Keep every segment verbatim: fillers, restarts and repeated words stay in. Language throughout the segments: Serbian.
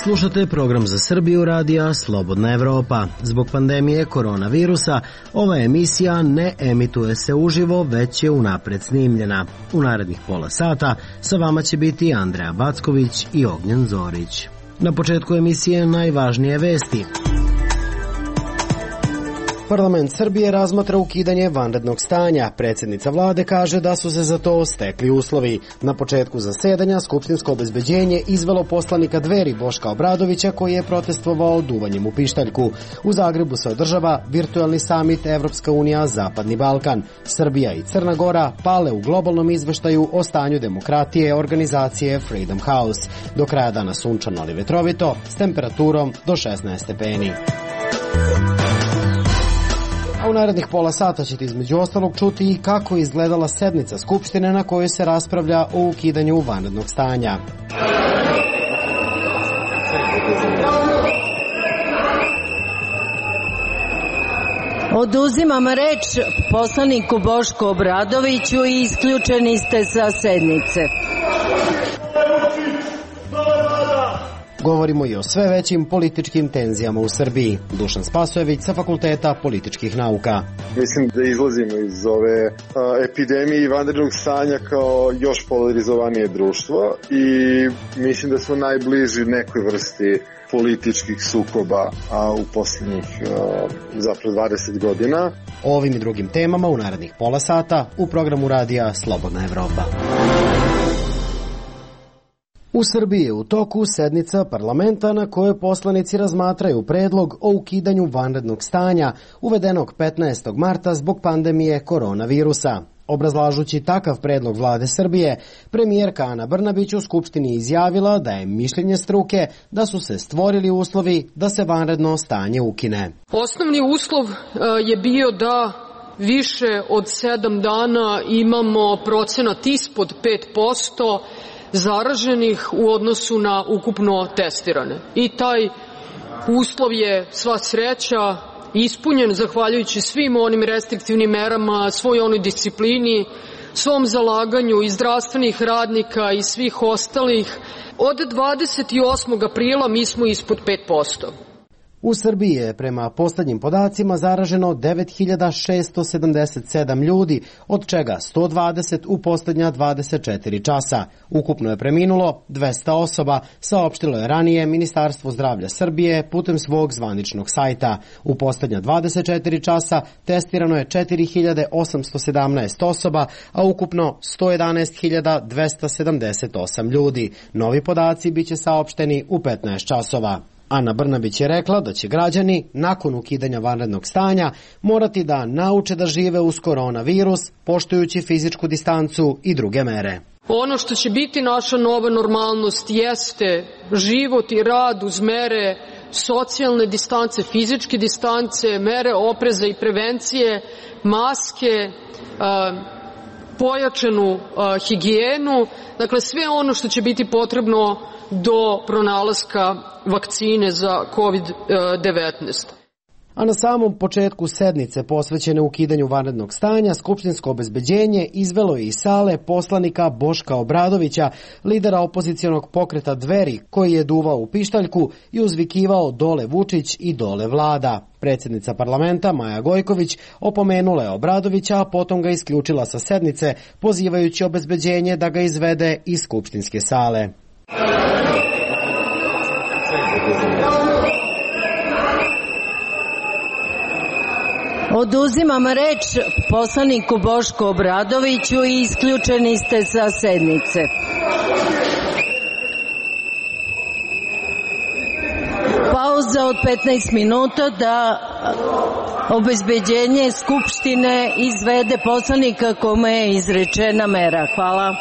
Slušate program za Srbiju radija Slobodna Evropa. Zbog pandemije koronavirusa ova emisija ne emituje se uživo, već je unapred snimljena. U narednih pola sata sa vama će biti Andreja Backović i Ognjen Zorić. Na početku emisije najvažnije vesti. Parlament Srbije razmatra ukidanje vanrednog stanja. Predsjednica vlade kaže da su se za to stekli uslovi. Na početku zasedanja skupštinsko obezbeđenje izvelo poslanika Dveri Boška Obradovića koji je protestovao duvanjem u pištaljku. U Zagrebu se održava virtualni samit Evropska unija Zapadni Balkan. Srbija i Crna Gora pale u globalnom izveštaju o stanju demokratije organizacije Freedom House. Do kraja dana sunčano ali vetrovito s temperaturom do šesnaest stepeni. A u narednih pola sata ćete između ostalog čuti i kako je izgledala sednica Skupštine na kojoj se raspravlja o ukidanju vanrednog stanja. Oduzimam reč poslaniku Bošku Obradoviću i isključeni ste sa sednice. Govorimo i o sve većim političkim tenzijama u Srbiji. Dušan Spasojević sa Fakulteta političkih nauka. Mislim da izlazimo iz ove a, epidemije i vanrednog stanja kao još polarizovanije društvo i mislim da smo najbliži nekoj vrsti političkih sukoba a, u posljednjih a, zapravo dvadeset godina. O ovim i drugim temama u narednih pola sata u programu radija Slobodna Evropa. U Srbiji je u toku sednica parlamenta na kojoj poslanici razmatraju predlog o ukidanju vanrednog stanja uvedenog petnaestog marta zbog pandemije koronavirusa. Obrazlažući takav predlog vlade Srbije, premijerka Ana Brnabić u Skupštini izjavila da je mišljenje struke da su se stvorili uslovi da se vanredno stanje ukine. Osnovni uslov je bio da više od sedam dana imamo procenat ispod pet posto zaraženih u odnosu na ukupno testirane. I taj uslov je, sva sreća, ispunjen zahvaljujući svim onim restriktivnim merama, svoj onoj disciplini, svom zalaganju i zdravstvenih radnika i svih ostalih. Od dvadeset osmog aprila mi smo ispod pet posto. U Srbiji je prema poslednjim podacima zaraženo devet hiljada šesto sedamdeset sedam ljudi, od čega sto dvadeset u poslednja dvadeset četiri časa. Ukupno je preminulo dvesta osoba, saopštilo je ranije Ministarstvo zdravlja Srbije putem svog zvaničnog sajta. U poslednja dvadeset četiri časa testirano je četiri hiljade osamsto sedamnaest osoba, a ukupno sto jedanaest hiljada dvesta sedamdeset osam ljudi. Novi podaci biće saopšteni u petnaest časova. Ana Brnabić je rekla da će građani, nakon ukidanja vanrednog stanja, morati da nauče da žive uz koronavirus, poštujući fizičku distancu i druge mere. Ono što će biti naša nova normalnost jeste život i rad uz mere socijalne distance, fizičke distance, mere opreza i prevencije, maske, pojačanu higijenu, dakle sve ono što će biti potrebno do pronalaska vakcine za kovid devetnaest. A na samom početku sednice posvećene ukidanju vanrednog stanja, skupštinsko obezbeđenje izvelo je iz sale poslanika Boška Obradovića, lidera opozicionog pokreta Dveri, koji je duvao u pištaljku i uzvikivao dole Vučić i dole vlada. Predsjednica parlamenta Maja Gojković opomenula je Obradovića, a potom ga isključila sa sednice, pozivajući obezbeđenje da ga izvede iz skupštinske sale. Oduzimam reč poslaniku Bošku Obradoviću i isključeni ste sa sednice. Pauza od petnaest minuta da obezbeđenje Skupštine izvede poslanika kome je izrečena mera. Hvala.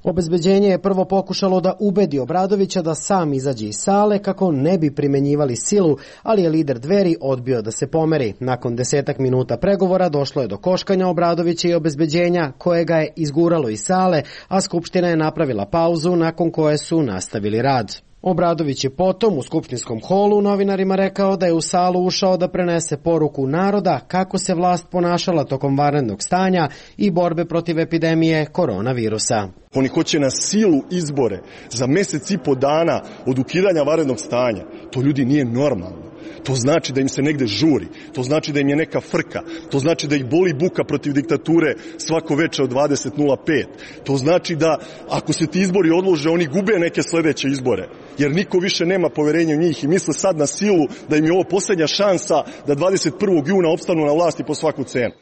Obezbeđenje je prvo pokušalo da ubedi Obradovića da sam izađe iz sale kako ne bi primenjivali silu, ali je lider Dveri odbio da se pomeri. Nakon desetak minuta pregovora došlo je do koškanja Obradovića i obezbeđenja koje ga je izguralo iz sale, a Skupština je napravila pauzu nakon koje su nastavili rad. Obradović je potom u skupštinskom holu novinarima rekao da je u salu ušao da prenese poruku naroda kako se vlast ponašala tokom vanrednog stanja i borbe protiv epidemije koronavirusa. Oni hoće na silu izbore za mesec i po dana od ukidanja vanrednog stanja. To ljudi nije normalno. To znači da im se negde žuri, to znači da im je neka frka, to znači da ih boli buka protiv diktature svako veče od dvadeset nula pet. To znači da ako se ti izbori odlože, oni gube neke sledeće izbore, jer niko više nema poverenja u njih i misle sad na silu da im je ovo poslednja šansa da dvadeset prvog juna opstanu na vlasti po svaku cenu.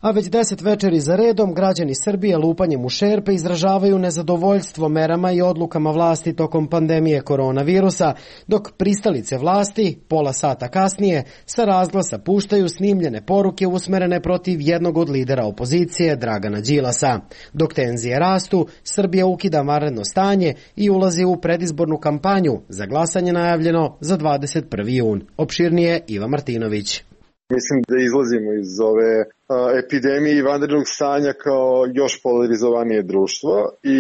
A već deset večeri za redom građani Srbije lupanjem u šerpe izražavaju nezadovoljstvo merama i odlukama vlasti tokom pandemije koronavirusa, dok pristalice vlasti, pola sata kasnije, sa razglasa puštaju snimljene poruke usmerene protiv jednog od lidera opozicije, Dragana Đilasa. Dok tenzije rastu, Srbija ukida vanredno stanje i ulazi u predizbornu kampanju, za glasanje najavljeno za dvadeset prvi jun. Opširnije Iva Martinović. Mislim da izlazimo iz ove a, epidemije i vanrednog stanja kao još polarizovanije društvo i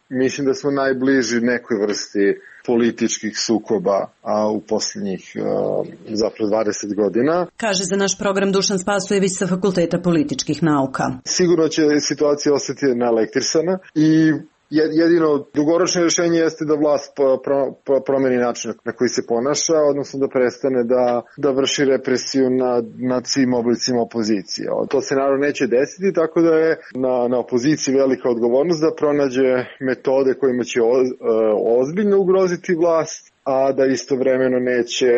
mislim da smo najbliži nekoj vrsti političkih sukoba a, u posljednjih a, zapravo dvadeset godina. Kaže za naš program Dušan Spasojević sa Fakulteta političkih nauka. Sigurno će situacija ostati naelektrisana i jedino dugoročno rješenje jeste da vlast promeni način na koji se ponaša, odnosno da prestane da, da vrši represiju nad, nad svim oblicima opozicije. To se naravno neće desiti, tako da je na, na opoziciji velika odgovornost da pronađe metode kojima će o, ozbiljno ugroziti vlast, a da istovremeno neće,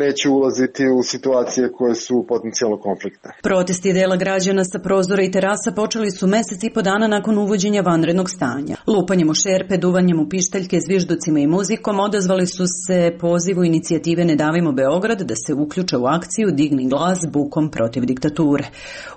neće ulaziti u situacije koje su potencijalno konfliktne. Protesti dela građana sa prozora i terasa počeli su mesec i po dana nakon uvođenja vanrednog stanja. Lupanjem u šerpe, duvanjem u pištaljke, zvižducima i muzikom odazvali su se pozivu inicijative Ne davimo Beograd da se uključe u akciju Digni glas bukom protiv diktature.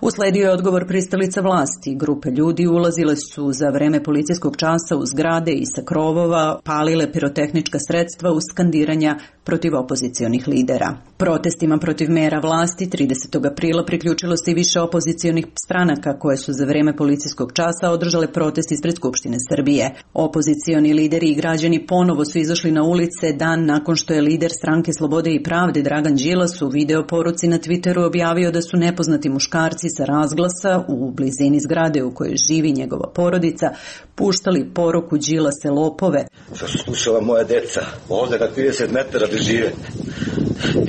Usledio je odgovor pristalica vlasti. Grupe ljudi ulazile su za vreme policijskog časa u zgrade i sa krovova, palile pirotehnička sredstva uz skandiranja protiv opozicionih lidera. Protestima protiv mera vlasti tridesetog aprila priključilo se i više opozicionih stranaka koje su za vreme policijskog časa održale protest ispred Skupštine Srbije. Opozicioni lideri i građani ponovo su izašli na ulice dan nakon što je lider Stranke Slobode i pravde Dragan Đilas u video poruci na Twitteru objavio da su nepoznati muškarci sa razglasa u blizini zgrade u kojoj živi njegova porodica puštali poruku Đilase lopove. Što su slušala moja deca ovde na trideset metara da žive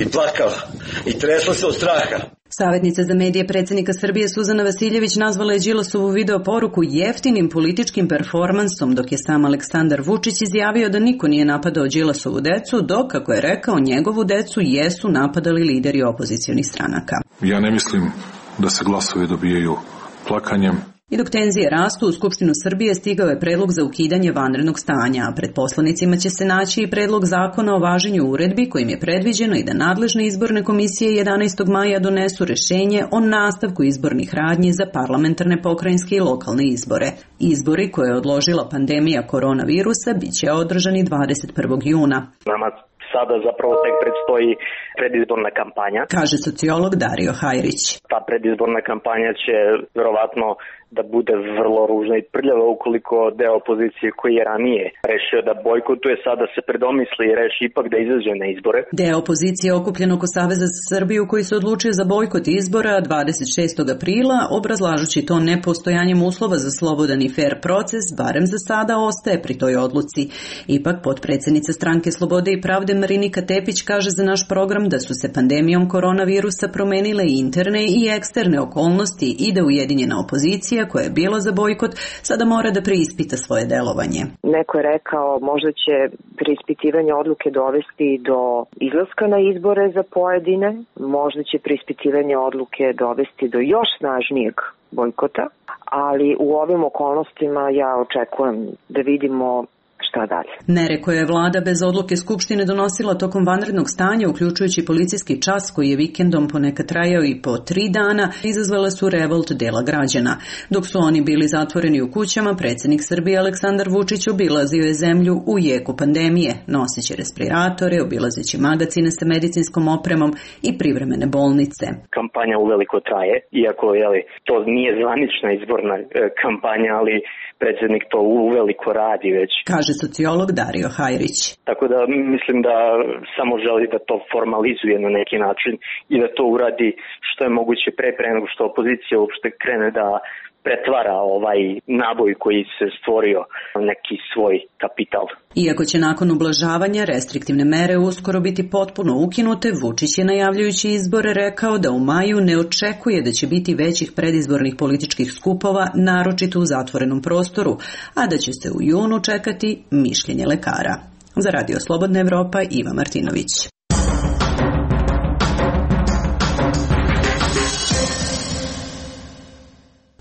i plakala i tresla se od straha. Savjetnica za medije predsjednika Srbije Suzana Vasiljević nazvala je Đilasovu video poruku jeftinim političkim performansom, dok je sam Aleksandar Vučić izjavio da niko nije napadao Đilasovu decu, dok, kako je rekao, njegovu decu jesu napadali lideri opozicionih stranaka. Ja ne mislim da se glasovi dobijaju plakanjem. I dok tenzije rastu, u Skupštinu Srbije stigao je predlog za ukidanje vanrednog stanja, a pred poslanicima će se naći i predlog zakona o važenju uredbi kojim je predviđeno i da nadležne izborne komisije jedanaestog maja donesu rešenje o nastavku izbornih radnji za parlamentarne, pokrajinske i lokalne izbore. Izbori koje je odložila pandemija koronavirusa biće održani dvadeset prvog juna. Nama sada zapravo tek predstoji predizborna kampanja. Kaže sociolog Dario Hajrić. Ta predizborna kampanja će verovatno da bude vrlo ružna i prljava ukoliko deo opozicije koji je ranije rešio da bojkotuje, sada se predomisli i reši ipak da izađe na izbore. Deo opozicije okupljen oko Saveza za Srbiju koji se odlučio za bojkot izbora dvadeset šestog aprila, obrazlažući to nepostojanjem uslova za slobodan i fer proces, barem za sada ostaje pri toj odluci. Ipak potpredsednica Stranke Slobode i pravde Marinika Tepić kaže za naš program da su se pandemijom koronavirusa promenile i interne i eksterne okolnosti i da ujedinjena opozicija koja je bila za bojkot sada mora da preispita svoje delovanje. Neko je rekao možda će preispitivanje odluke dovesti do izlaska na izbore za pojedine, možda će preispitivanje odluke dovesti do još snažnijeg bojkota, ali u ovim okolnostima ja očekujem da vidimo šta dalje. Mere koje je vlada bez odluke Skupštine donosila tokom vanrednog stanja, uključujući policijski čas koji je vikendom ponekad trajao i po tri dana, izazvale su revolt dela građana. Dok su oni bili zatvoreni u kućama, predsjednik Srbije Aleksandar Vučić obilazio je zemlju u jeku pandemije, noseći respiratore, obilazeći magacine sa medicinskom opremom i privremene bolnice. Kampanja uveliko traje, iako jeli, to nije zvanična izborna e, kampanja, ali predsjednik to uveliko radi već. Kaže sociolog Dario Hajrić. Tako da mislim da samo želi da to formalizuje na neki način i da to uradi što je moguće pre, pre nego što opozicija uopšte krene da pretvara ovaj naboj koji se stvorio neki svoj kapital. Iako će nakon ublažavanja restriktivne mere uskoro biti potpuno ukinute, Vučić je najavljujući izbore rekao da u maju ne očekuje da će biti većih predizbornih političkih skupova, naročito u zatvorenom prostoru, a da će se u junu čekati mišljenje lekara. Za Radio Slobodna Evropa, Iva Martinović.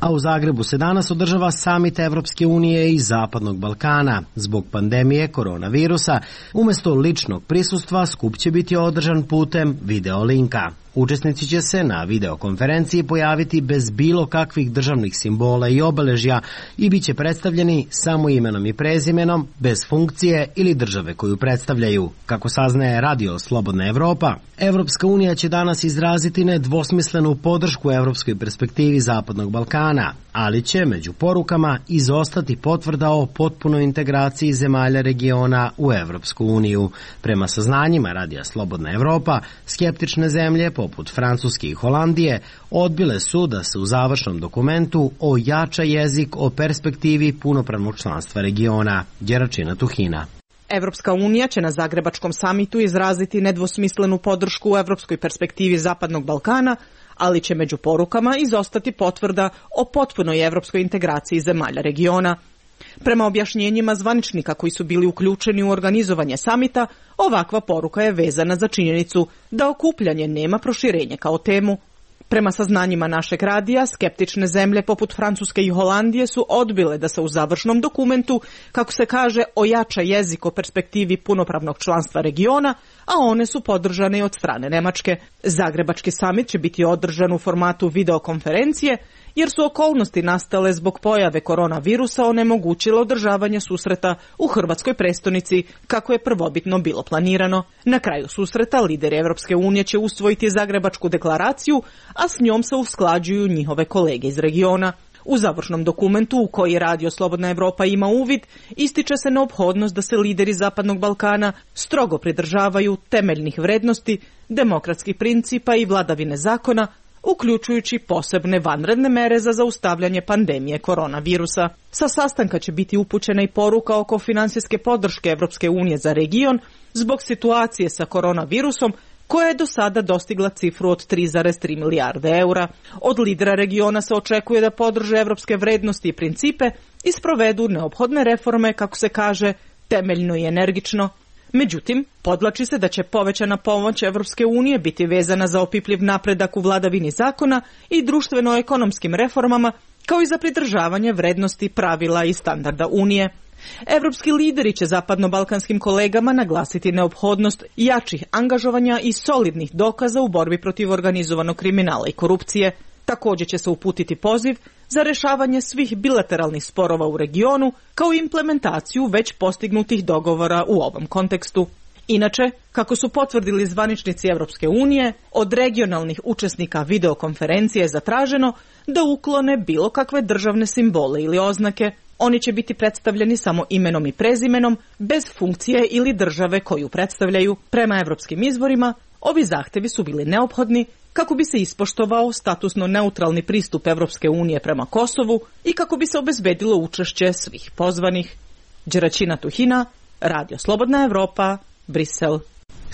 A u Zagrebu se danas održava samit Evropske unije i Zapadnog Balkana. Zbog pandemije koronavirusa, umjesto ličnog prisustva, skup će biti održan putem video linka. Učesnici će se na videokonferenciji pojaviti bez bilo kakvih državnih simbola i obeležja i bit će predstavljeni samo imenom i prezimenom, bez funkcije ili države koju predstavljaju. Kako saznaje Radio Slobodna Evropa, Evropska unija će danas izraziti nedvosmislenu podršku evropskoj perspektivi Zapadnog Balkana, ali će među porukama izostati potvrda o potpunoj integraciji zemalja regiona u Evropsku uniju. Prema saznanjima Radija Slobodna Evropa, skeptične zemlje poput Francuske i Holandije odbile su da se u završnom dokumentu ojača jezik o perspektivi punopravnog članstva regiona. Đeračina Tuhina. Evropska unija će na Zagrebačkom samitu izraziti nedvosmislenu podršku u evropskoj perspektivi Zapadnog Balkana, ali će među porukama izostati potvrda o potpunoj evropskoj integraciji zemalja regiona. Prema objašnjenjima zvaničnika koji su bili uključeni u organizovanje samita, ovakva poruka je vezana za činjenicu da okupljanje nema proširenje kao temu. Prema saznanjima našeg radija, skeptične zemlje poput Francuske i Holandije su odbile da se u završnom dokumentu, kako se kaže, ojača jezik o perspektivi punopravnog članstva regiona, a one su podržane od strane Nemačke. Zagrebački samit će biti održan u formatu videokonferencije, jer su okolnosti nastale zbog pojave koronavirusa onemogućile održavanje susreta u hrvatskoj prestonici, kako je prvobitno bilo planirano. Na kraju susreta lideri Evropske unije će usvojiti Zagrebačku deklaraciju, a s njom se usklađuju njihove kolege iz regiona. U završnom dokumentu, u koji Radio Slobodna Evropa ima uvid, ističe se neophodnost da se lideri Zapadnog Balkana strogo pridržavaju temeljnih vrednosti, demokratskih principa i vladavine zakona, uključujući posebne vanredne mere za zaustavljanje pandemije koronavirusa. Sa sastanka će biti upućena i poruka oko finansijske podrške Evropske unije za region zbog situacije sa koronavirusom, koja je do sada dostigla cifru od tri zarez tri milijarde eura. Od lidera regiona se očekuje da podrže evropske vrednosti i principe i sprovedu neophodne reforme, kako se kaže, temeljno i energično. Međutim, podvlači se da će povećana pomoć Evropske unije biti vezana za opipljiv napredak u vladavini zakona i društveno-ekonomskim reformama, kao i za pridržavanje vrednosti, pravila i standarda Unije. Evropski lideri će zapadno-balkanskim kolegama naglasiti neophodnost jačih angažovanja i solidnih dokaza u borbi protiv organizovanog kriminala i korupcije. Također će se uputiti poziv za rešavanje svih bilateralnih sporova u regionu, kao i implementaciju već postignutih dogovora u ovom kontekstu. Inače, kako su potvrdili zvaničnici Evropske unije, od regionalnih učesnika videokonferencije je zatraženo da uklone bilo kakve državne simbole ili oznake. Oni će biti predstavljeni samo imenom i prezimenom, bez funkcije ili države koju predstavljaju. Prema evropskim izvorima, ovi zahtevi su bili neophodni kako bi se ispoštovao statusno neutralni pristup Evropske unije prema Kosovu i kako bi se obezbedilo učešće svih pozvanih. Đeračina Tuhina, Radio Slobodna Evropa, Brisel.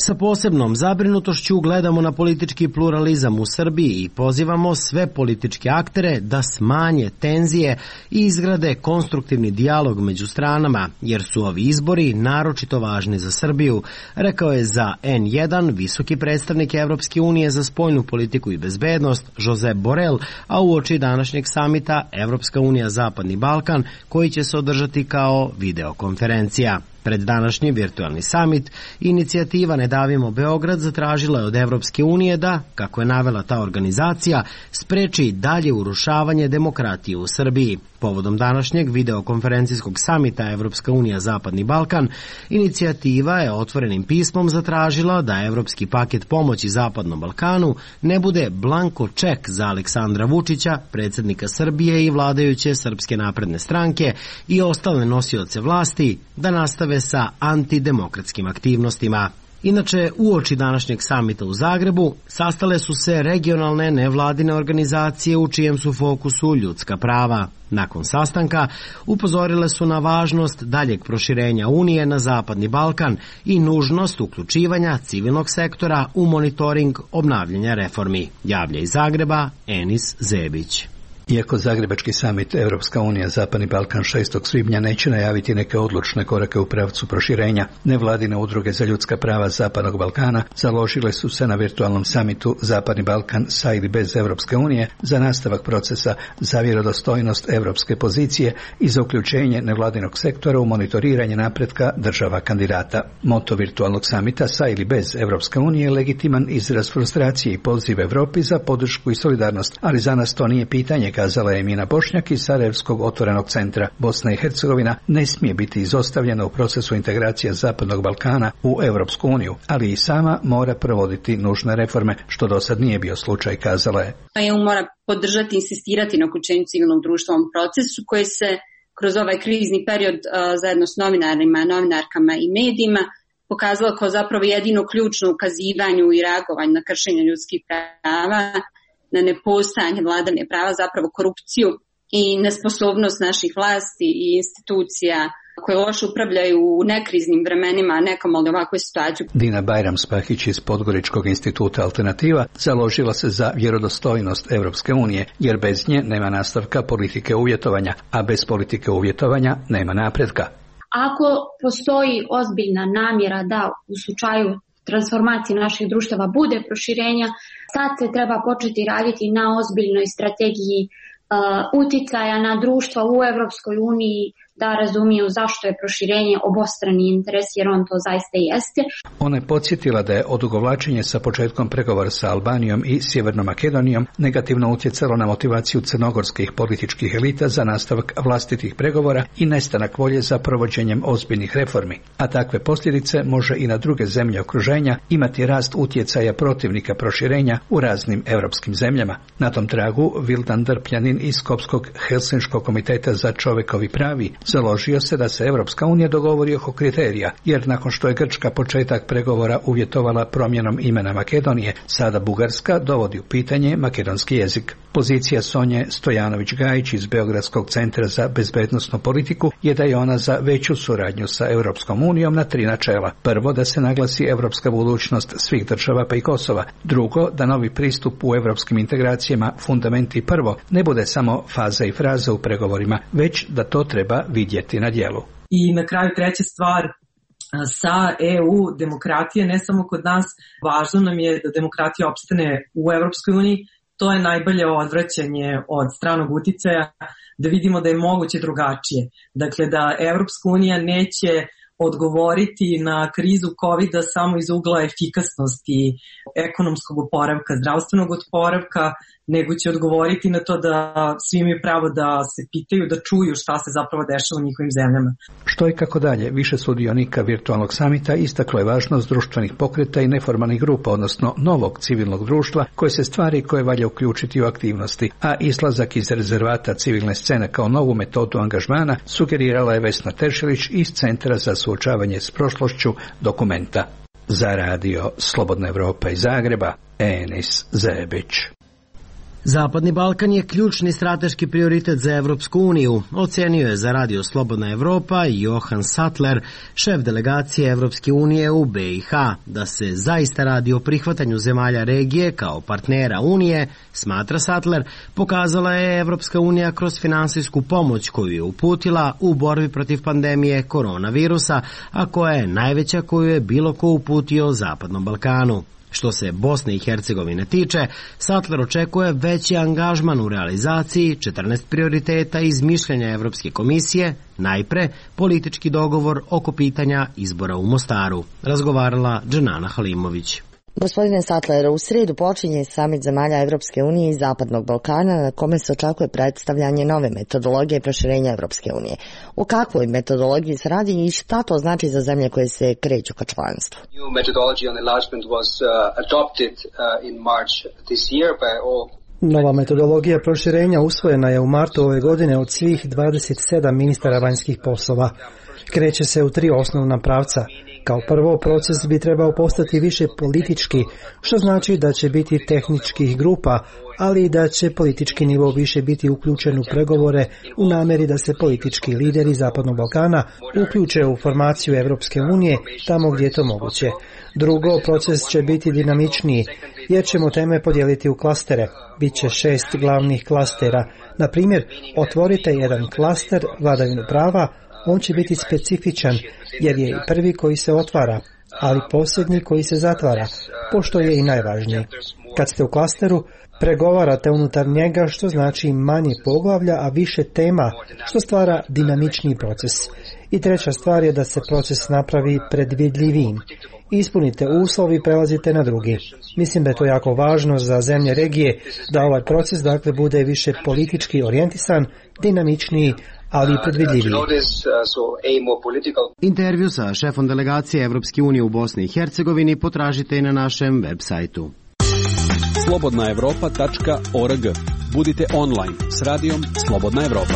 Sa posebnom zabrinutošću gledamo na politički pluralizam u Srbiji i pozivamo sve političke aktere da smanje tenzije i izgrade konstruktivni dijalog među stranama, jer su ovi izbori naročito važni za Srbiju, rekao je za en jedan visoki predstavnik Evropske unije za spoljnu politiku i bezbednost Josep Borrell, a uoči današnjeg samita Evropska unija Zapadni Balkan, koji će se održati kao videokonferencija. Pred današnji virtualni samit, inicijativa Ne davimo Beograd zatražila je od Evropske unije da, kako je navela ta organizacija, spreči dalje urušavanje demokratije u Srbiji. Povodom današnjeg videokonferencijskog samita Evropska unija Zapadni Balkan, inicijativa je otvorenim pismom zatražila da evropski paket pomoći Zapadnom Balkanu ne bude blanko ček za Aleksandra Vučića, predsjednika Srbije i vladajuće Srpske napredne stranke i ostale nosioce vlasti da nastave sa antidemokratskim aktivnostima. Inače, uoči današnjeg samita u Zagrebu sastale su se regionalne nevladine organizacije u čijem su fokusu ljudska prava. Nakon sastanka upozorile su na važnost daljeg proširenja Unije na Zapadni Balkan i nužnost uključivanja civilnog sektora u monitoring obnavljanja reformi. Javlja iz Zagreba Enis Zebić. Iako Zagrebački samit Evropska unija Zapadni Balkan šestog svibnja neće najaviti neke odlučne korake u pravcu proširenja, nevladine udruge za ljudska prava Zapadnog Balkana založile su se na virtualnom samitu Zapadni Balkan sa ili bez Evropske unije za nastavak procesa za vjerodostojnost evropske pozicije i za uključenje nevladinog sektora u monitoriranje napretka država kandidata. Moto virtualnog samita sa ili bez Evropske unije je legitiman izraz frustracije i poziv Evropi za podršku i solidarnost, ali za nas to nije pitanje, kazala je Emina Bošnjak iz Sarajevskog otvorenog centra. Bosna i Hercegovina ne smije biti izostavljena u procesu integracije Zapadnog Balkana u Evropsku uniju, ali i sama mora provoditi nužne reforme, što do sad nije bio slučaj, kazala je. E U mora podržati i insistirati na uključenju civilnog društva u ovom procesu koji se kroz ovaj krizni period uh, zajedno s novinarima, novinarkama i medijima pokazalo kao zapravo jedino ključno ukazivanju i reagovanju na kršenje ljudskih prava, na nepostojanje vladavine prava, zapravo korupciju i nesposobnost naših vlasti i institucija koje loše upravljaju u nekriznim vremenima, a nekamo li ovakvoj situaciju. Dina Bajram-Spahić iz Podgoričkog instituta Alternativa založila se za vjerodostojnost Evropske unije, jer bez nje nema nastavka politike uvjetovanja, a bez politike uvjetovanja nema napretka. Ako postoji ozbiljna namjera da u slučaju transformacije naših društava bude proširenja, sad se treba početi raditi na ozbiljnoj strategiji uh, uticaja na društva u Evropskoj uniji da razumiju zašto je proširenje obostrani interes, jer on to zaista jeste. Ona je podsjetila da je odugovlačenje sa početkom pregovora sa Albanijom i Sjevernom Makedonijom negativno utjecalo na motivaciju crnogorskih političkih elita za nastavak vlastitih pregovora i nestanak volje za provođenjem ozbiljnih reformi. A takve posljedice može i na druge zemlje okruženja imati rast utjecaja protivnika proširenja u raznim europskim zemljama. Na tom tragu Vildan Drpljanin iz Skopskog Helsinškog komiteta za čovjekovi pravi založio se da se Evropska unija dogovori oko kriterija, jer nakon što je Grčka početak pregovora uvjetovala promjenom imena Makedonije, sada Bugarska dovodi u pitanje makedonski jezik. Pozicija Sonje Stojanović-Gajić iz Beogradskog centra za bezbednosnu politiku je da je ona za veću suradnju sa Europskom unijom na tri načela. Prvo, da se naglasi evropska budućnost svih država pa i Kosova. Drugo, da novi pristup u evropskim integracijama, fundamenti prvo, ne bude samo faza i fraza u pregovorima, već da to treba vidjeti na djelu. I na kraju treća stvar, sa E U demokratije, ne samo kod nas, važno nam je da demokratija opstane u Evropskoj uniji. To je najbolje odvraćanje od stranog uticaja, da vidimo da je moguće drugačije. Dakle, da Evropska unija neće odgovoriti na krizu kovida samo iz ugla efikasnosti ekonomskog oporavka, zdravstvenog oporavka, nego će odgovoriti na to da svi imaju pravo da se pitaju, da čuju šta se zapravo dešava u njihovim zemljama. Što i kako dalje, više sudionika virtualnog samita istaklo je važnost društvenih pokreta i neformalnih grupa, odnosno novog civilnog društva, koje se stvari koje valja uključiti u aktivnosti, a izlazak iz rezervata civilne scene kao novu metodu angažmana sugerirala je Vesna Teršelić iz Centra za suočavanje s prošlošću Dokumenta. Za radio Slobodna Evropa iz Zagreba, Enis Zebić. Zapadni Balkan je ključni strateški prioritet za Evropsku uniju, ocenio je za radio Slobodna Evropa Johan Sattler, šef delegacije Evropske unije u B i H. Da se zaista radi o prihvatanju zemalja regije kao partnera Unije, smatra Sattler, pokazala je Evropska unija kroz finansijsku pomoć koju je uputila u borbi protiv pandemije koronavirusa, a koja je najveća koju je bilo ko uputio Zapadnom Balkanu. Što se Bosne i Hercegovine tiče, Sattler očekuje veći angažman u realizaciji četrnaest prioriteta iz mišljenja Evropske komisije, najpre politički dogovor oko pitanja izbora u Mostaru, razgovarala Dženana Halimović. Gospodine Sattler, u srijedu počinje samit zemalja Evropske unije i Zapadnog Balkana na kome se očekuje predstavljanje nove metodologije proširenja Evropske unije. O kakvoj metodologiji se radi i šta to znači za zemlje koje se kreću ka članstvu? New methodology on enlargement was uh, adopted uh, in March this year by all. Nova metodologija proširenja usvojena je u martu ove godine od svih dvadeset sedam ministara vanjskih poslova. Kreće se u tri osnovna pravca. Kao prvo, proces bi trebao postati više politički, što znači da će biti tehničkih grupa, ali i da će politički nivo više biti uključen u pregovore u namjeri da se politički lideri Zapadnog Balkana uključe u formaciju Evropske unije tamo gdje je to moguće. Drugo, proces će biti dinamičniji, jer ćemo teme podijeliti u klastere. Biće šest glavnih klastera. Na primjer, otvorite jedan klaster vladavinu prava, on će biti specifičan, jer je i prvi koji se otvara, ali posljednji koji se zatvara, pošto je i najvažniji. Kad ste u klasteru, pregovarate unutar njega, što znači manje poglavlja, a više tema, što stvara dinamičniji proces. I treća stvar je da se proces napravi predvidljivijim. Ispunite uslov i prelazite na drugi. Mislim da je to jako važno za zemlje regije, da ovaj proces dakle bude više politički orijentisan, dinamičniji, ali i predvidljiviji. Intervju sa šefom delegacije Evropske unije u Bosni i Hercegovini potražite i na našem web sajtu. slobodna evropa tačka org. Budite online s radijom Slobodna Evropa.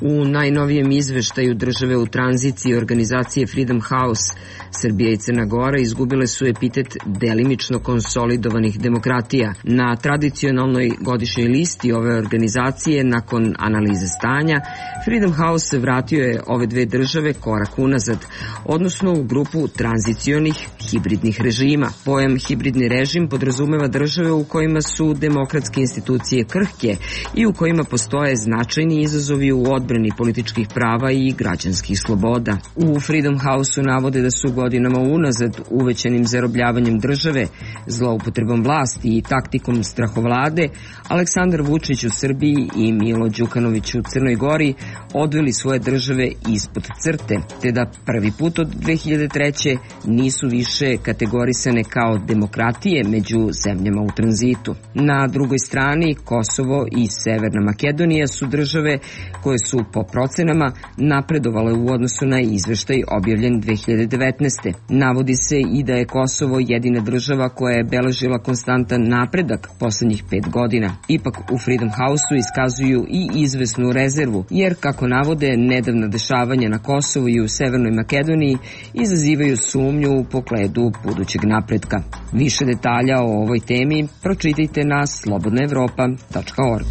U najnovijem izveštaju države u tranziciji organizacije Freedom House, Srbija i Crna Gora izgubile su epitet delimično konsolidovanih demokratija. Na tradicionalnoj godišnjoj listi ove organizacije, nakon analize stanja, Freedom House vratio je ove dve države korak unazad, odnosno u grupu tranzicionih hibridnih režima. Pojam hibridni režim podrazumeva države u kojima su demokratske institucije krhke i u kojima postoje značajni izazovi u odbrani političkih prava i građanskih sloboda. U Freedom House-u navode da su godinama unazad uvećanim zarobljavanjem države, zloupotrebom vlasti i taktikom strahovlade, Aleksandar Vučić u Srbiji i Milo Đukanović u Crnoj Gori odveli svoje države ispod crte, te da prvi put od dve hiljade treće nisu više kategorisane kao demokratije među zemljama u tranzitu. Na drugoj strani, Kosovo i Severna Makedonija su države koje su po procenama napredovale u odnosu na izveštaj objavljen dve hiljade devetnaeste. Navodi se i da je Kosovo jedina država koja je beležila konstantan napredak poslednjih pet godina. Ipak u Freedom House-u iskazuju i izvesnu rezervu, jer kako navode, nedavna dešavanja na Kosovu i u Severnoj Makedoniji izazivaju sumnju u pogledu budućeg napretka. Više detalja o ovoj temi pročitajte na slobodna evropa tačka org.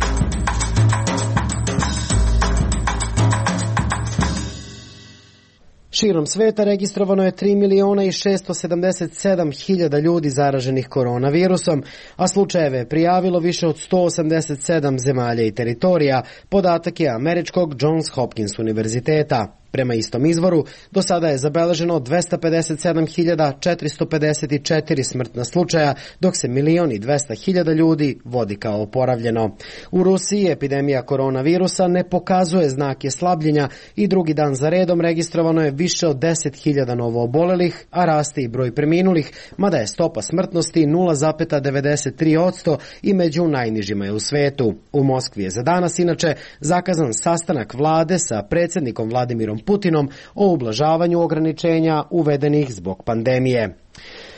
Širom sveta registrovano je tri miliona i šesto sedamdeset sedam hiljada ljudi zaraženih koronavirusom, a slučajeve je prijavilo više od sto osamdeset sedam zemalja i teritorija, podatak je američkog Johns Hopkins univerziteta. Prema istom izvoru, do sada je zabeleženo dvesta pedeset sedam hiljada četiristo pedeset četiri smrtna slučaja, dok se milion i dvesta hiljada ljudi vodi kao oporavljeno. U Rusiji epidemija koronavirusa ne pokazuje znake slabljenja i drugi dan za redom registrovano je više od deset hiljada novo obolelih, a raste i broj preminulih, mada je stopa smrtnosti nula zarez devedeset tri posto i među najnižima je u svetu. U Moskvi je za danas inače zakazan sastanak vlade sa predsjednikom Vladimirom Putinom o ublažavanju ograničenja uvedenih zbog pandemije.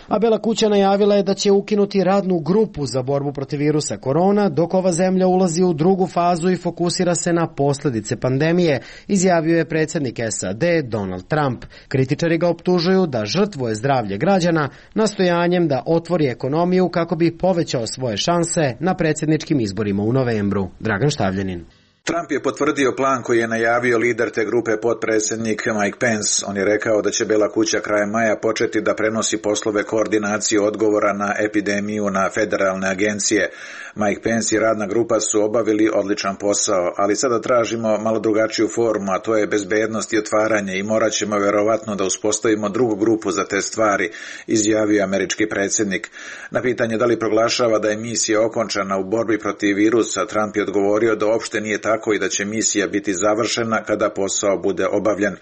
A Bela kuća najavila je da će ukinuti radnu grupu za borbu protiv virusa korona, dok ova zemlja ulazi u drugu fazu i fokusira se na posljedice pandemije, izjavio je predsjednik S A D Donald Trump. Kritičari ga optužuju da žrtvuje zdravlje građana nastojanjem da otvori ekonomiju kako bi povećao svoje šanse na predsjedničkim izborima u novembru. Dragan Štavljanin. Trump je potvrdio plan koji je najavio lider te grupe, potpredsjednik Mike Pence. On je rekao da će Bela kuća krajem maja početi da prenosi poslove koordinacije odgovora na epidemiju na federalne agencije. Mike Pence i radna grupa su obavili odličan posao, ali sada tražimo malo drugačiju formu, a to je bezbednost i otvaranje i morat ćemo verovatno da uspostavimo drugu grupu za te stvari, izjavio američki predsjednik. Na pitanje da li proglašava da je misija okončana u borbi protiv virusa, Trump je odgovorio da uopšte nije tako tako i da će misija biti završena kada posao bude obavljen.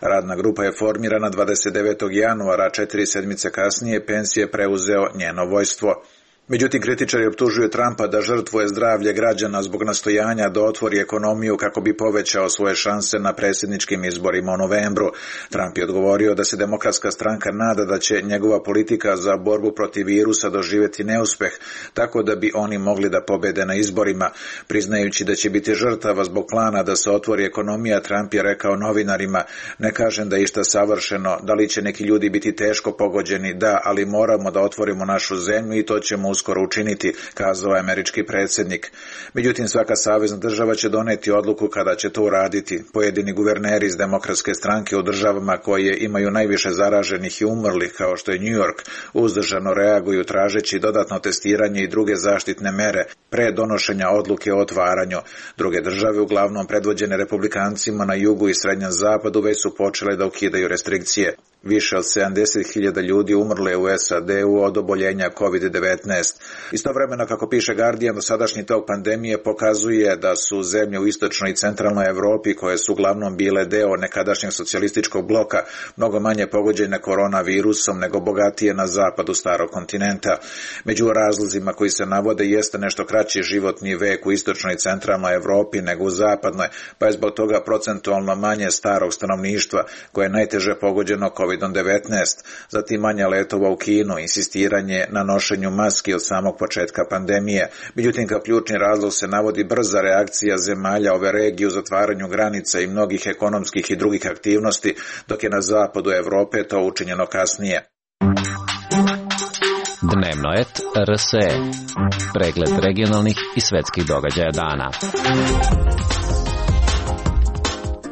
Radna grupa je formirana dvadeset devetog januara, četiri sedmice kasnije Pence je preuzeo njeno vojstvo. Međutim, kritičari optužuju Trumpa da žrtvuje zdravlje građana zbog nastojanja da otvori ekonomiju kako bi povećao svoje šanse na predsjedničkim izborima u novembru. Trump je odgovorio da se Demokratska stranka nada da će njegova politika za borbu protiv virusa doživjeti neuspeh, tako da bi oni mogli da pobede na izborima. Priznajući da će biti žrtava zbog plana da se otvori ekonomija, Trump je rekao novinarima: "Ne kažem da je išta savršeno, da li će neki ljudi biti teško pogođeni, da, ali moramo da otvorimo našu zemlju i to ćemo uskoro učiniti", kazao je američki predsjednik. Međutim, svaka savezna država će doneti odluku kada će to uraditi. Pojedini guverneri iz Demokratske stranke u državama koje imaju najviše zaraženih i umrlih, kao što je New York, uzdržano reaguju tražeći dodatno testiranje i druge zaštitne mere pre donošenja odluke o otvaranju. Druge države, uglavnom predvođene republikancima na jugu i srednjem zapadu, već su počele da ukidaju restrikcije. Više od sedamdeset hiljada ljudi umrlo je u S A D-u od oboljenja kovid devetnaest. Istovremeno, kako piše Guardian, dosadašnji tok pandemije pokazuje da su zemlje u istočnoj i centralnoj Evropi, koje su uglavnom bile deo nekadašnjeg socijalističkog bloka, mnogo manje pogođene koronavirusom nego bogatije na zapadu starog kontinenta. Među razlozima koji se navode jeste nešto kraći životni vek u istočnoj i centralnoj Evropi nego u zapadnoj, pa je zbog toga procentualno manje starog stanovništva koje je najteže pogođeno kovid devetnaest, zatim manje letova u Kinu, insistiranje na nošenju maski od samog početka pandemije. Međutim, kao ključni razlog se navodi brza reakcija zemalja ove regije u zatvaranju granica i mnogih ekonomskih i drugih aktivnosti, dok je na zapadu Evrope to učinjeno kasnije. Dnevno et R S E. Pregled regionalnih i svetskih događaja dana.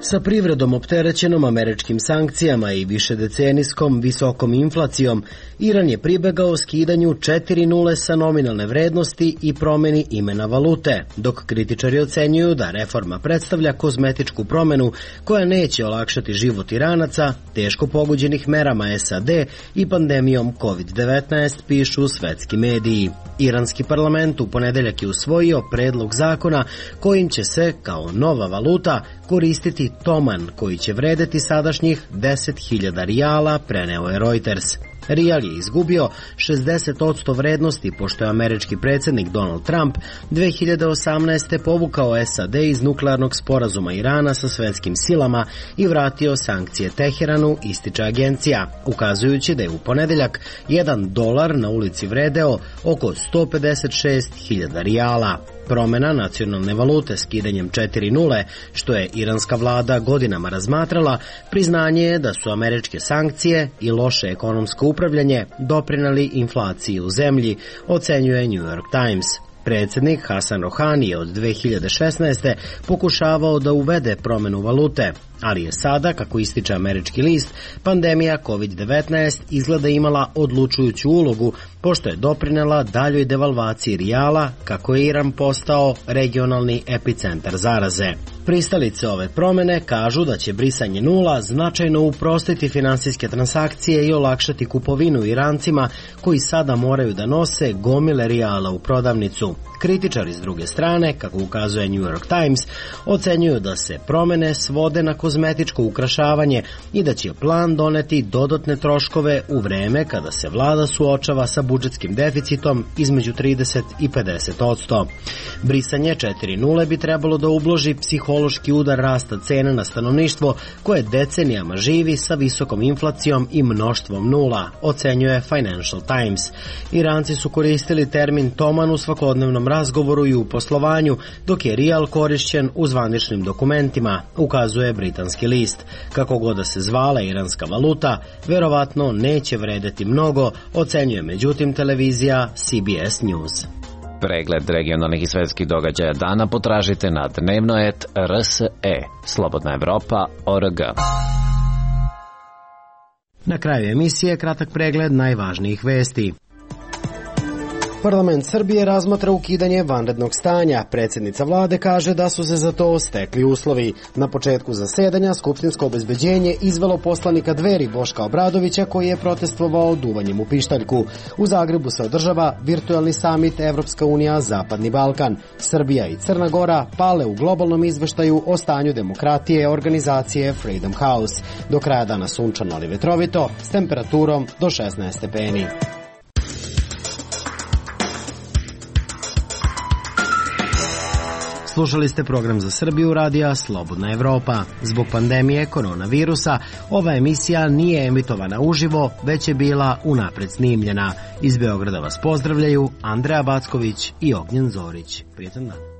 Sa privredom opterećenom američkim sankcijama i višedecenijskom visokom inflacijom, Iran je pribegao skidanju četiri nule sa nominalne vrednosti i promeni imena valute, dok kritičari ocenjuju da reforma predstavlja kozmetičku promenu koja neće olakšati život Iranaca, teško pogođenih merama S A D i pandemijom kovid devetnaest, pišu svetski mediji. Iranski parlament u ponedeljak je usvojio predlog zakona kojim će se, kao nova valuta, koristiti toman, koji će vredeti sadašnjih deset hiljada rijala, preneo je Reuters. Rijal je izgubio šezdeset posto vrednosti pošto je američki predsjednik Donald Trump dve hiljade osamnaeste povukao S A D iz nuklearnog sporazuma Irana sa svetskim silama i vratio sankcije Teheranu, ističe agencija, ukazujući da je u ponedeljak jedan dolar na ulici vredeo oko sto pedeset šest hiljada rijala. Promjena nacionalne valute skidanjem četiri nule, što je iranska vlada godinama razmatrala, priznanje je da su američke sankcije i loše ekonomsko upravljanje doprinijeli inflaciji u zemlji, ocenjuje New York Times. Predsjednik Hasan Rohani je od dve hiljade šesnaeste pokušavao da uvede promjenu valute, ali je sada, kako ističe američki list, pandemija kovid devetnaest izgleda imala odlučujuću ulogu, pošto je doprinela daljoj devalvaciji rijala, kako je Iran postao regionalni epicentar zaraze. Pristalice ove promjene kažu da će brisanje nula značajno uprostiti finansijske transakcije i olakšati kupovinu Irancima koji sada moraju da nose gomile rijala u prodavnicu. Kritičari s druge strane, kako ukazuje New York Times, ocenjuju da se promjene svode na kozmetičko ukrašavanje i da će plan doneti dodatne troškove u vreme kada se vlada suočava sa budžetskim deficitom između trideset i pedeset posto. Brisanje četiri nule bi trebalo da ubloži psihološki udar rasta cena na stanovništvo koje decenijama živi sa visokom inflacijom i mnoštvom nula, ocenjuje Financial Times. Iranci su koristili termin toman u svakodnevnom razgovoru i u poslovanju, dok je rijal korišćen u zvaničnim dokumentima, ukazuje britanski list. Kako god da se zvala iranska valuta, verovatno neće vredeti mnogo, ocenjuje međutim televizija C B S News. Pregled regionalnih i svetskih događaja dana potražite na dnevno et R S E. Slobodna Evropa, O R G. Na kraju emisije kratak pregled najvažnijih vesti. Parlament Srbije razmatra ukidanje vanrednog stanja. Predsjednica vlade kaže da su se za to stekli uslovi. Na početku zasedanja skupštinsko obezbeđenje izvelo poslanika Dveri Boška Obradovića koji je protestovao duvanjem u pištaljku. U Zagrebu se održava virtualni samit Evropska unija Zapadni Balkan. Srbija i Crna Gora pale u globalnom izveštaju o stanju demokratije organizacije Freedom House. Do kraja dana sunčano ali vetrovito s temperaturom do šesnaest stepeni. Slušali ste program za Srbiju radija Slobodna Evropa. Zbog pandemije koronavirusa ova emisija nije emitovana uživo, već je bila unapred snimljena. Iz Beograda vas pozdravljaju Andreja Backović i Ognjen Zorić. Prijetan dan.